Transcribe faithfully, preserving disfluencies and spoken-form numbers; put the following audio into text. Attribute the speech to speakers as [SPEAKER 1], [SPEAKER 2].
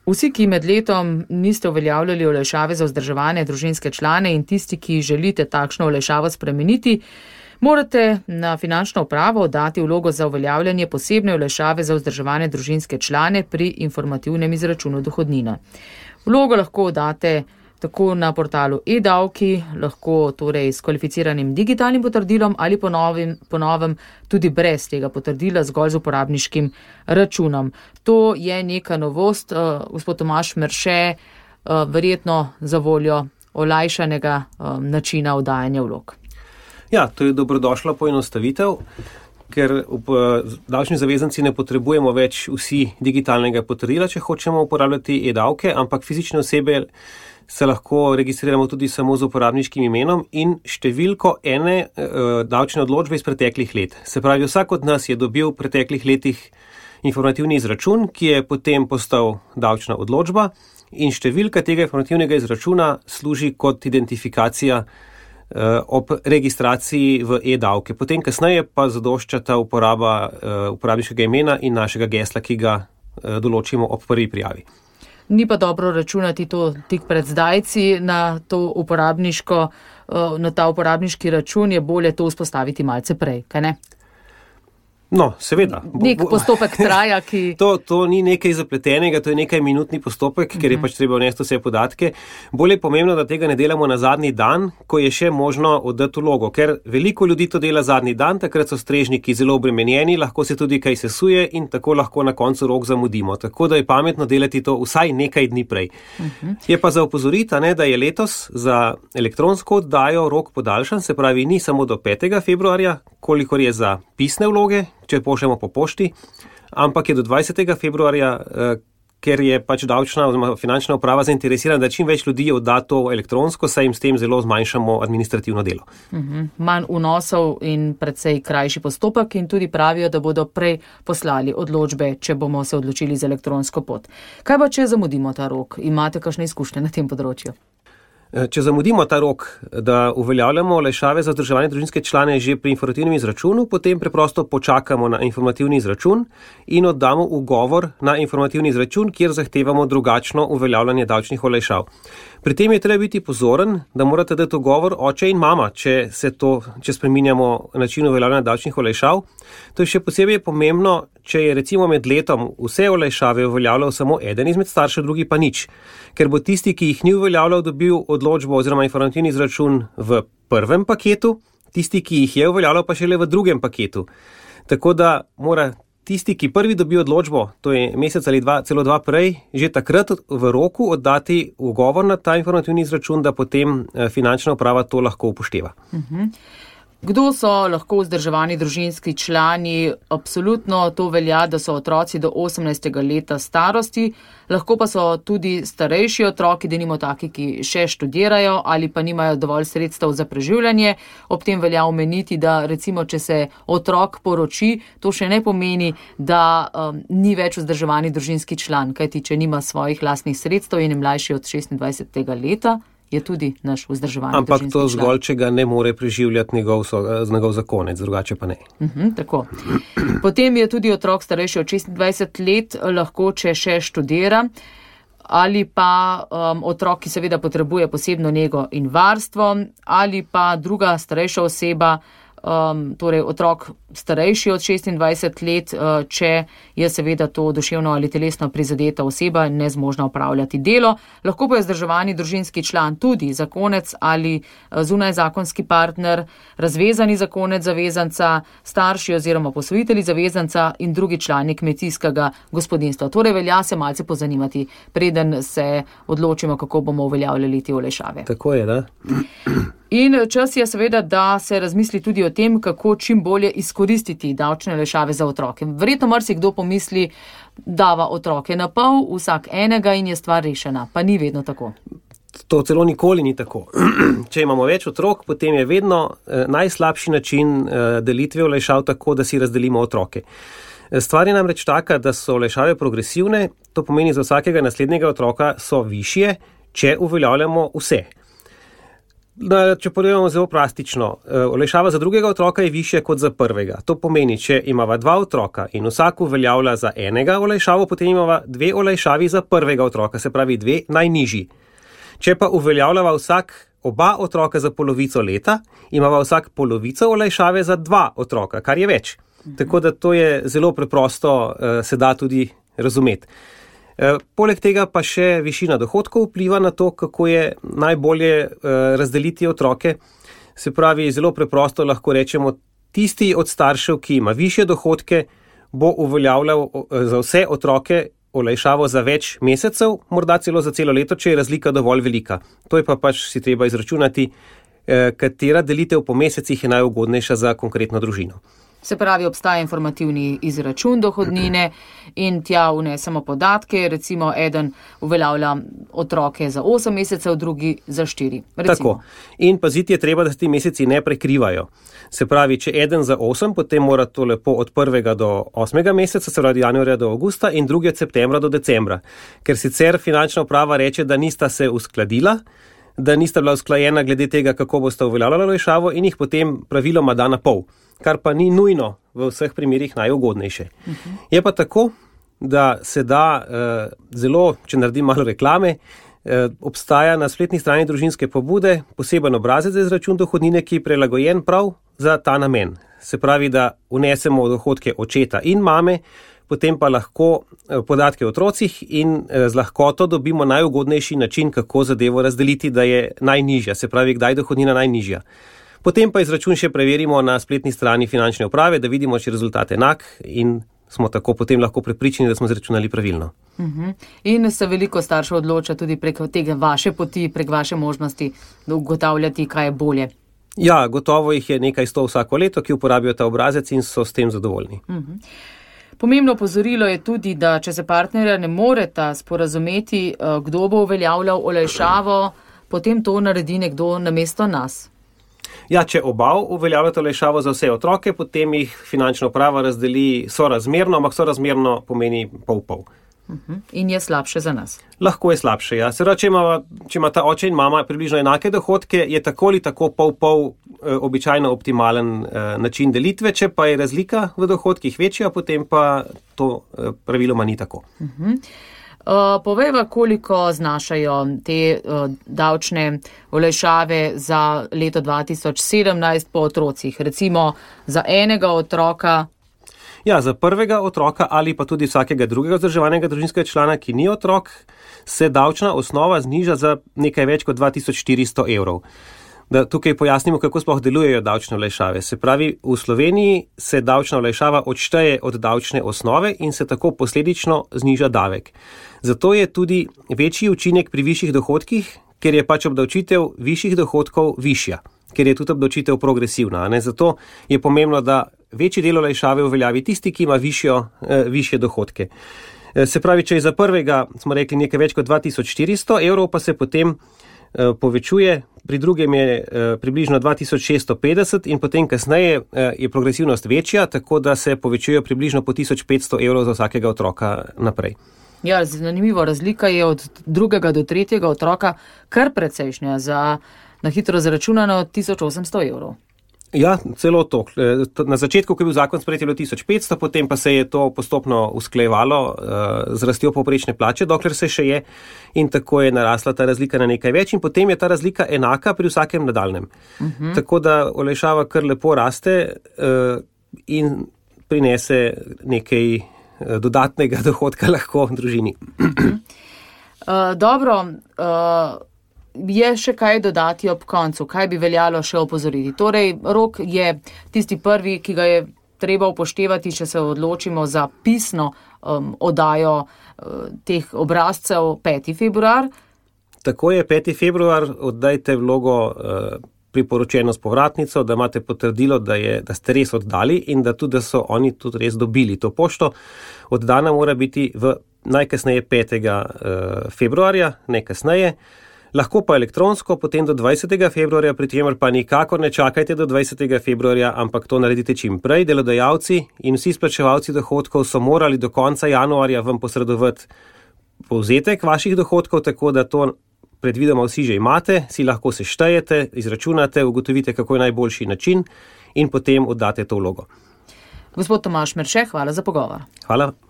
[SPEAKER 1] Vsi, ki med letom niste uveljavljali olajšave za vzdrževane družinske člane in tisti, ki želite takšno olajšavo spremeniti, morate na finančno upravo dati vlogo za uveljavljanje posebne olajšave za vzdrževane družinske člane pri informativnem izračunu dohodnine. Vlogo lahko date tako na portalu e-davki, lahko torej s kvalificiranim digitalnim potrdilom ali po novim, po novem tudi brez tega potrdila, zgolj z uporabniškim računom. To je neka novost, uh, gospod Tomaž Merše, uh, verjetno za voljo olajšanega uh, načina oddajanja vlog.
[SPEAKER 2] Ja, to je dobrodošla poenostavitev, ker davčni zavezanci ne potrebujemo več vsi digitalnega potrdila, če hočemo uporabljati e-davke, ampak fizične osebe se lahko registriramo tudi samo z uporabniškim imenom in številko ene e, davčne odločbe iz preteklih let. Se pravi, vsak od nas je dobil v preteklih letih informativni izračun, ki je potem postal davčna odločba in številka tega informativnega izračuna služi kot identifikacija e, ob registraciji v e-davke. Potem kasneje pa zadošča ta uporaba e, uporabniškega imena in našega gesla, ki ga e, določimo ob prvi prijavi.
[SPEAKER 1] Ni pa dobro računati to tik pred zdajci na, to uporabniško, na ta uporabniški račun, je bolje to vzpostaviti malce prej, kaj ne?
[SPEAKER 2] No, seveda.
[SPEAKER 1] Nek postopek traja, ki...
[SPEAKER 2] To, to ni nekaj zapletenega, to je nekaj minutni postopek, ker je pač treba vnesti vse podatke. Bolje je pomembno, da tega ne delamo na zadnji dan, ko je še možno oddati vlogo, ker veliko ljudi to dela zadnji dan, takrat so strežniki zelo obremenjeni, lahko se tudi kaj sesuje in tako lahko na koncu rok zamudimo. Tako da je pametno delati to vsaj nekaj dni prej. Uh-huh. Je pa za opozoriti, ne, da je letos za elektronsko oddajo rok podaljšan, se pravi ni samo do petega februarja, kolikor je za pisne vloge, če pošljemo po pošti, ampak je do dvajsetega februarja, ker je pač davčna oziroma finančna uprava zainteresirana, da čim več ljudi odda to elektronsko, saj jim s tem zelo zmanjšamo administrativno delo.
[SPEAKER 1] Uh-huh. Manj vnosov in precej krajši postopek in tudi pravijo, da bodo prej poslali odločbe, če bomo se odločili za elektronsko pot. Kaj pa, če zamudimo ta rok? Imate kakšne izkušnje na tem področju?
[SPEAKER 2] Če zamudimo ta rok, da uveljavljamo olajšave za vzdrževane družinske člane že pri informativnem izračunu, potem preprosto počakamo na informativni izračun in oddamo ugovor na informativni izračun, kjer zahtevamo drugačno uveljavljanje davčnih olajšav. Pri tem je treba biti pozoren, da morate dati ugovor oče in mama, če se to, če spreminjamo način uveljavljanja davčnih olajšav. To je še posebej pomembno, če je recimo med letom vse olajšave uveljavljal samo eden izmed staršev, drugi pa nič. Ker bo tisti, ki jih ni uveljavljal, dobil odločbo oziroma informativni izračun v prvem paketu, tisti, ki jih je uveljavljal, pa šele v drugem paketu. Tako da mora tisti, ki prvi dobi odločbo, to je mesec ali dva, celo dva prej, že takrat v roku oddati ugovor na ta informativni izračun, da potem finančna uprava to lahko upošteva.
[SPEAKER 1] Uh-huh. Kdo so lahko vzdrževani družinski člani? Absolutno to velja, da so otroci do osemnajstega leta starosti, lahko pa so tudi starejši otroki, denimo taki, ki še študirajo ali pa nimajo dovolj sredstev za preživljanje. Ob tem velja omeniti, da recimo, če se otrok poroči, to še ne pomeni, da um, ni več vzdrževani družinski član, kajti če nima svojih lastnih sredstev in je mlajši od šestindvajsetega leta, je tudi naš vzdrževani
[SPEAKER 2] Ampak
[SPEAKER 1] družinski
[SPEAKER 2] to
[SPEAKER 1] član.
[SPEAKER 2] zgolj, če ga ne more preživljati njegov, njegov zakonec, drugače pa ne.
[SPEAKER 1] Uh-huh, tako. Potem je tudi otrok starejši od šestindvajset let, lahko, če še študira, ali pa um, otrok, ki seveda potrebuje posebno nego in varstvo, ali pa druga starejša oseba, um, torej otrok starejši od šestindvajset let, uh, če je seveda to duševno ali telesno prizadeta oseba in nezmožna opravljati delo. Lahko pa je vzdrževani družinski član tudi zakonec ali zunajzakonski partner, razvezani zakonec zavezanca, starši oziroma posvojitelji zavezanca in drugi člani kmetijskega gospodinjstva. Torej velja se malce pozanimati, preden se odločimo, kako bomo uveljavljali te olajšave.
[SPEAKER 2] Tako je, da?
[SPEAKER 1] In čas je seveda, da se razmisli tudi o tem, kako čim bolje izkoristiti davčne olajšave za otroke. Verjetno marsikdo pomisli, dava otroke na pol, vsak enega in je stvar rešena, pa ni vedno tako.
[SPEAKER 2] To celo nikoli ni tako. Če imamo več otrok, potem je vedno eh, najslabši način eh, delitve olajšav tako, da si razdelimo otroke. Stvar je namreč taka, da so olajšave progresivne, to pomeni za vsakega naslednjega otroka so višje, če uveljavljamo vse. Če povemo zelo plastično, olajšava za drugega otroka je višja kot za prvega. To pomeni, če imava dva otroka in vsak uveljavlja za enega olajšavo, potem imava dve olajšavi za prvega otroka, se pravi dve najnižji. Če pa uveljavljava vsak oba otroka za polovico leta, imava vsak polovico olajšave za dva otroka, kar je več. Tako da to je zelo preprosto, se da tudi razumeti. Poleg tega pa še višina dohodkov vpliva na to, kako je najbolje razdeliti otroke. Se pravi, zelo preprosto lahko rečemo, tisti od staršev, ki ima višje dohodke, bo uveljavljal za vse otroke olajšavo za več mesecev, morda celo za celo leto, če je razlika dovolj velika. To je pa pač si treba izračunati, katera delitev po mesecih je najugodnejša za konkretno družino.
[SPEAKER 1] Se pravi, obstaja informativni izračun dohodnine in tja vnesemo podatke, recimo eden uveljavlja otroke za osem mesecev, drugi za štiri.
[SPEAKER 2] Tako. In paziti je treba, da se ti meseci ne prekrivajo. Se pravi, če eden za osem, potem mora to lepo od prvega do osmega meseca, se pravi januarja do avgusta in drugi od septembra do decembra. Ker sicer finančna uprava reče, da nista se uskladila, da nista bila usklajena glede tega, kako bosta uveljavljala olajšavo in jih potem praviloma da na pol, kar pa ni nujno v vseh primerih najugodnejše. Uh-huh. Je pa tako, da se da eh, zelo, če naredim malo reklame, eh, obstaja na spletni strani družinske pobude poseben obrazec za izračun dohodnine, ki je prilagojen prav za ta namen. Se pravi, da vnesemo dohodke očeta in mame, potem pa lahko podatke o otrocih in z lahkoto dobimo najugodnejši način, kako zadevo razdeliti, da je najnižja, se pravi, kdaj je dohodnina najnižja. Potem pa izračun še preverimo na spletni strani finančne uprave, da vidimo, če je rezultat enak in smo tako potem lahko prepričani, da smo izračunali pravilno.
[SPEAKER 1] Uh-huh. In se veliko staršev odloča tudi prek tega vaše poti, prek vaše možnosti, da ugotavljati, kaj je bolje.
[SPEAKER 2] Ja, gotovo jih je nekaj sto vsako leto, ki uporabijo ta obrazec in so s tem zadovoljni.
[SPEAKER 1] Uh-huh. Pomembno opozorilo je tudi, da če se partnerja ne moreta sporazumeti, kdo bo uveljavljal olajšavo, potem to naredi nekdo namesto nas.
[SPEAKER 2] Ja, če oba uveljavljata olajšavo za vse otroke, potem jih finančna uprava razdeli sorazmerno, ampak sorazmerno pomeni pol-pol.
[SPEAKER 1] Uh-huh. In je slabše za nas.
[SPEAKER 2] Lahko je slabše, ja. Se pravi, če ima, če ima ta oče in mama približno enake dohodke, je tako ali tako pol-pol eh, običajno optimalen eh, način delitve, če pa je razlika v dohodkih večja, potem pa to eh, praviloma ni tako.
[SPEAKER 1] Uh-huh. Uh, povejva, koliko znašajo te uh, davčne olajšave za leto dva tisoč sedemnajst po otrocih, recimo za enega otroka.
[SPEAKER 2] Ja, za prvega otroka ali pa tudi vsakega drugega vzdrževanega družinskega člana, ki ni otrok, se davčna osnova zniža za nekaj več kot dva tisoč štiristo evrov. Da tukaj pojasnimo, kako sploh delujejo davčne olajšave. Se pravi, v Sloveniji se davčna olajšava odšteje od davčne osnove in se tako posledično zniža davek. Zato je tudi večji učinek pri višjih dohodkih, ker je pač obdavčitev višjih dohodkov višja, ker je tudi obdavčitev progresivna. Ne? Zato je pomembno, da večji del olajšave uveljavi tisti, ki ima višjo, eh, višje dohodke. Eh, se pravi, če je za prvega, smo rekli, nekaj več kot dva tisoč štiristo evrov, pa se potem eh, povečuje, pri drugem je eh, približno dva tisoč šeststo petdeset in potem kasneje eh, je progresivnost večja, tako da se povečujejo približno po tisoč petsto evrov za vsakega otroka naprej.
[SPEAKER 1] Ja, zanimivo, razlika je od drugega do tretjega otroka kar precejšnja, za na hitro zaračunano tisoč osemsto evrov.
[SPEAKER 2] Ja, celo to. Na začetku, ko je bil zakon sprejet, je bilo tisoč petsto, potem pa se je to postopno usklajevalo uh, z rastjo povprečne plače, dokler se še je, in tako je narasla ta razlika na nekaj več in potem je ta razlika enaka pri vsakem nadaljnjem. Uh-huh. Tako da olajšava kar lepo raste uh, in prinese nekaj uh, dodatnega dohodka lahko v družini.
[SPEAKER 1] uh, dobro, uh, je še kaj dodati ob koncu, kaj bi veljalo še opozoriti. Torej, rok je tisti prvi, ki ga je treba upoštevati, če se odločimo za pisno um, oddajo uh, teh obrazcev peti februar.
[SPEAKER 2] Tako je, peti februar, oddajte vlogo uh, priporočeno s povratnico, da imate potrdilo, da, je, da ste res oddali in da tudi da so oni tudi res dobili to pošto. Oddana mora biti v najkasneje petega februarja, ne kasneje. Lahko pa elektronsko, potem do dvajsetega februarja, pri čemer pa nikakor ne čakajte do dvajsetega februarja, ampak to naredite čim prej. Delodajalci in vsi splačevalci dohodkov so morali do konca januarja vam posredovati povzetek vaših dohodkov, tako da to predvidoma vsi že imate, si lahko seštejete, izračunate, ugotovite, kako je najboljši način in potem oddate to vlogo.
[SPEAKER 1] Gospod Tomaž Merše, hvala za pogovor.
[SPEAKER 2] Hvala.